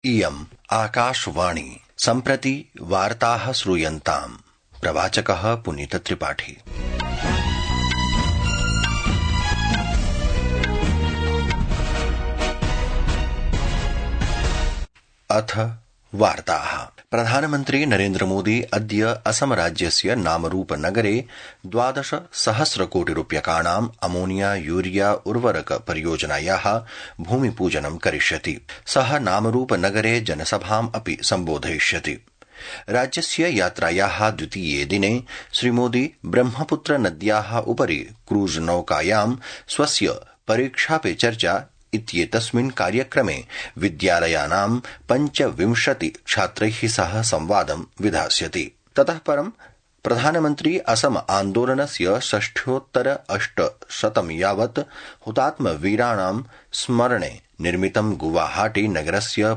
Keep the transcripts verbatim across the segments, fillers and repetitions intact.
इयम् आकाशवाणी सम्प्रति वार्ताः श्रूयन्ताम्। प्रवाचकः पुनीत त्रिपाठी। अथ वार्ताः। प्रधानमन्त्री नरेन्द्र मोदी अद्य असम राज्यस्य नामरूप नगरे द्वादश सहस्र कोटि रूप्यकाणाम् अमोनिया यूरिया उर्वरक परियोजनायाः भूमिपूजनं करिष्यति। सः नामरूप नगरे जनसभाम् अपि सम्बोधयिष्यति। राज्यस्य यात्रायाः द्वितीये दिने श्रीमोदी ब्रह्मपुत्र नद्याः उपरि क्रूज नौकायां स्वस्य परीक्षा पे चर्चा इत्येतस्मिन् कार्यक्रमे विद्यालयानां पञ्चविंशति छात्रैः सह संवादं विधास्यति। ततः परं प्रधानमन्त्री असम आन्दोलनस्य षष्ठ्योत्तर अष्टशतं यावत् हुतात्मवीराणां स्मरणे निर्मितं गुवाहाटी नगरस्य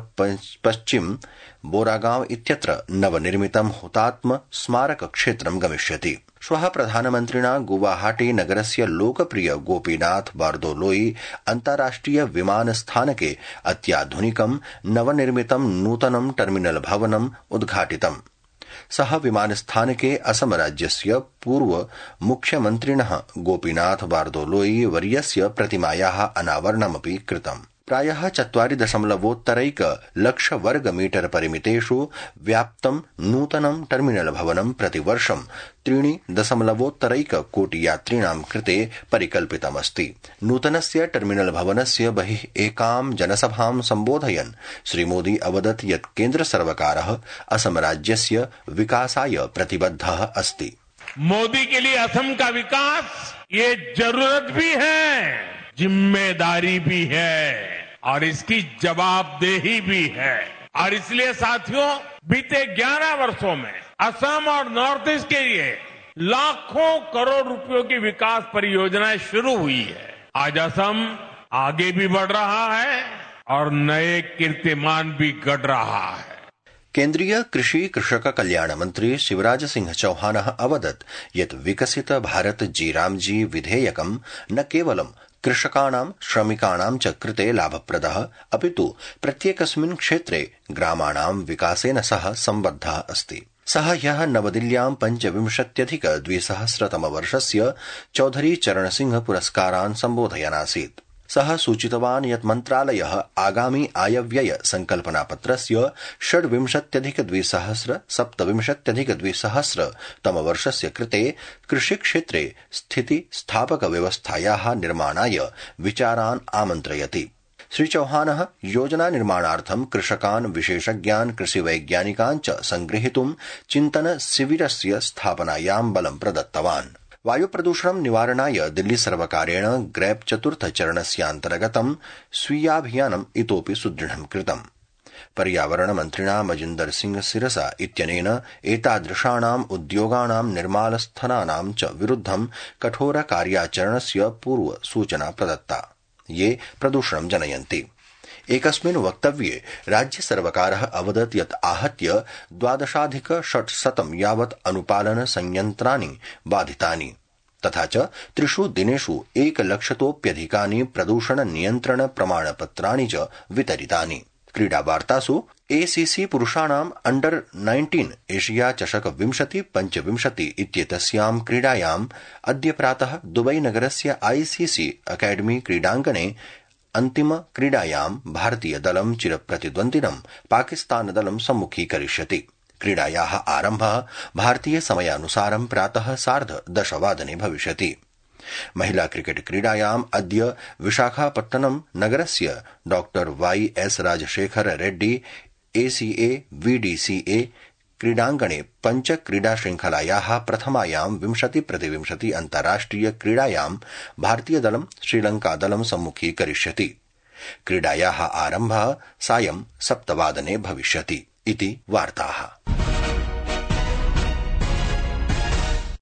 पश्चिम बोरागांव इत्यत्र नवनिर्मितं हुतात्म स्मारक क्षेत्रं गमिष्यति। श्वः प्रधानमन्त्रिणा गुवाहाटी नगरस्य लोकप्रिय गोपीनाथ बारदोलोई अन्ताराष्ट्रिय विमानस्थानके अत्याधुनिकं नवनिर्मितं नूतनं टर्मिनल भवनम् उद्घाटितम्। सः विमानस्थानके असम राज्यस्य पूर्व मुख्यमन्त्रिणः गोपीनाथ बारदोलोई वर्यस्य प्रतिमायाः अनावरणमपि कृतम्। प्रायः चत्वारि दशमलवोत्तरैक लक्ष वर्ग मीटर परिमितेषु व्याप्तं नूतनं टर्मिनल भवनं प्रतिवर्षं त्रीणि दशमलवोत्तरैक कोटि यात्रिणां कृते परिकल्पितमस्ति। नूतनस्य टर्मिनल भवनस्य बहिः एकां जनसभां सम्बोधयन् श्रीमोदी अवदत् यत् केन्द्र सर्वकारः असम राज्यस्य विकासाय प्रतिबद्धः अस्ति। मोदी के लिए असम का विकास ये जरूरत भी है, जिम्मेदारी भी है और इसकी जवाबदेही भी है। और इसलिए साथियों, बीते ग्यारह वर्षों में असम और नॉर्थ ईस्ट के लिए लाखों करोड़ रुपयों की विकास परियोजनाएं शुरू हुई है। आज असम आगे भी बढ़ रहा है और नए कीर्तिमान भी गढ़ रहा है। केन्द्रीय कृषि कृषक कल्याण मंत्री शिवराज सिंह चौहान अवदत् यत् विकसित भारत जीरामजी विधेयकं न केवलं कृषकाणां श्रमिकाणां च कृते लाभप्रदः अपितु प्रत्येकस्मिन् क्षेत्रे ग्रामाणां विकासेन सह सम्बद्धः अस्ति। सः ह्यः नवदिल्ल्यां पञ्चविंशत्यधिक द्विसहस्रतम वर्षस्य चौधरी चरण सिंह पुरस्कारान् सम्बोधयनासीत्। सः सूचितवान् यत् मन्त्रालयः आगामि आयव्यय संकल्पनापत्रस्य षड्विंशत्यधिक द्विसहस्र सप्तविंशत्यधिक द्विसहस्र तम वर्षस्य कृते कृषिक्षेत्रे स्थिति स्थापक व्यवस्थायाः निर्माणाय विचारान् आमन्त्रयति। श्री चौहानः योजना निर्माणार्थं कृषकान् विशेषज्ञान् कृषिवैज्ञानिकान् च संगृहीतुं चिन्तन शिविरस्य स्थापनायां बलं प्रदत्तवान्। वायु प्रदूषणं निवारणाय दिल्ली सर्वकारेण ग्रैप चतुर्थ चरणस्यान्तर्गतं स्वीयाभियानम् इतोपि सुदृढं कृतम्। पर्यावरण मन्त्रिणा मजिन्दर सिंह सिरसा इत्यनेन एतादृशानाम् उद्योगानां निर्माणस्थानानां च विरुद्धं कठोर कार्याचरणस्य पूर्व सूचना प्रदत्ता, ये प्रदूषणं जनयन्ति। एकस्मिन् वक्तव्ये राज्य सर्वकारः अवदत् यत् आहत्य द्वादशाधिक षट्शतं यावत् अनुपालन संयन्त्राणि बाधितानि तथा च त्रिषु दिनेषु एकलक्षतोप्यधिकानि प्रदूषण नियन्त्रण प्रमाणपत्राणि च वितरितानि। क्रीडावार्तासु एसीसी पुरुषाणाम् अंडर नाइन्टीन एशिया चषक विंशति पञ्चविंशति इत्येतस्यां क्रीडायाम् अद्य प्रातः दुबई नगरस्य आईसीसी अकादमी क्रीडाङ्गणे अन्तिम क्रीडायां भारतीय दलं चिरप्रतिद्वन्दिनं पाकिस्तान दलं सम्मुखीकरिष्यति। क्रीडायाः आरम्भः भारतीय समयानुसारं प्रातः सार्ध दशवादने भविष्यति। महिला क्रिकेट क्रीडायाम् अद्य विशाखापट्टनम नगरस्य doctor Y S Rajasekhara Reddy ACA VDCA क्रीडाङ्गणे पञ्च क्रीडा श्रृंखलायाः प्रथमायां विंशति प्रतिविंशति अन्ताराष्ट्रिय क्रीडायां भारतीय दलं श्रीलंका दलं सम्मुखीकरिष्यति। क्रीडायाः आरम्भः सायं सप्तवादने भविष्यति इति वार्ताः।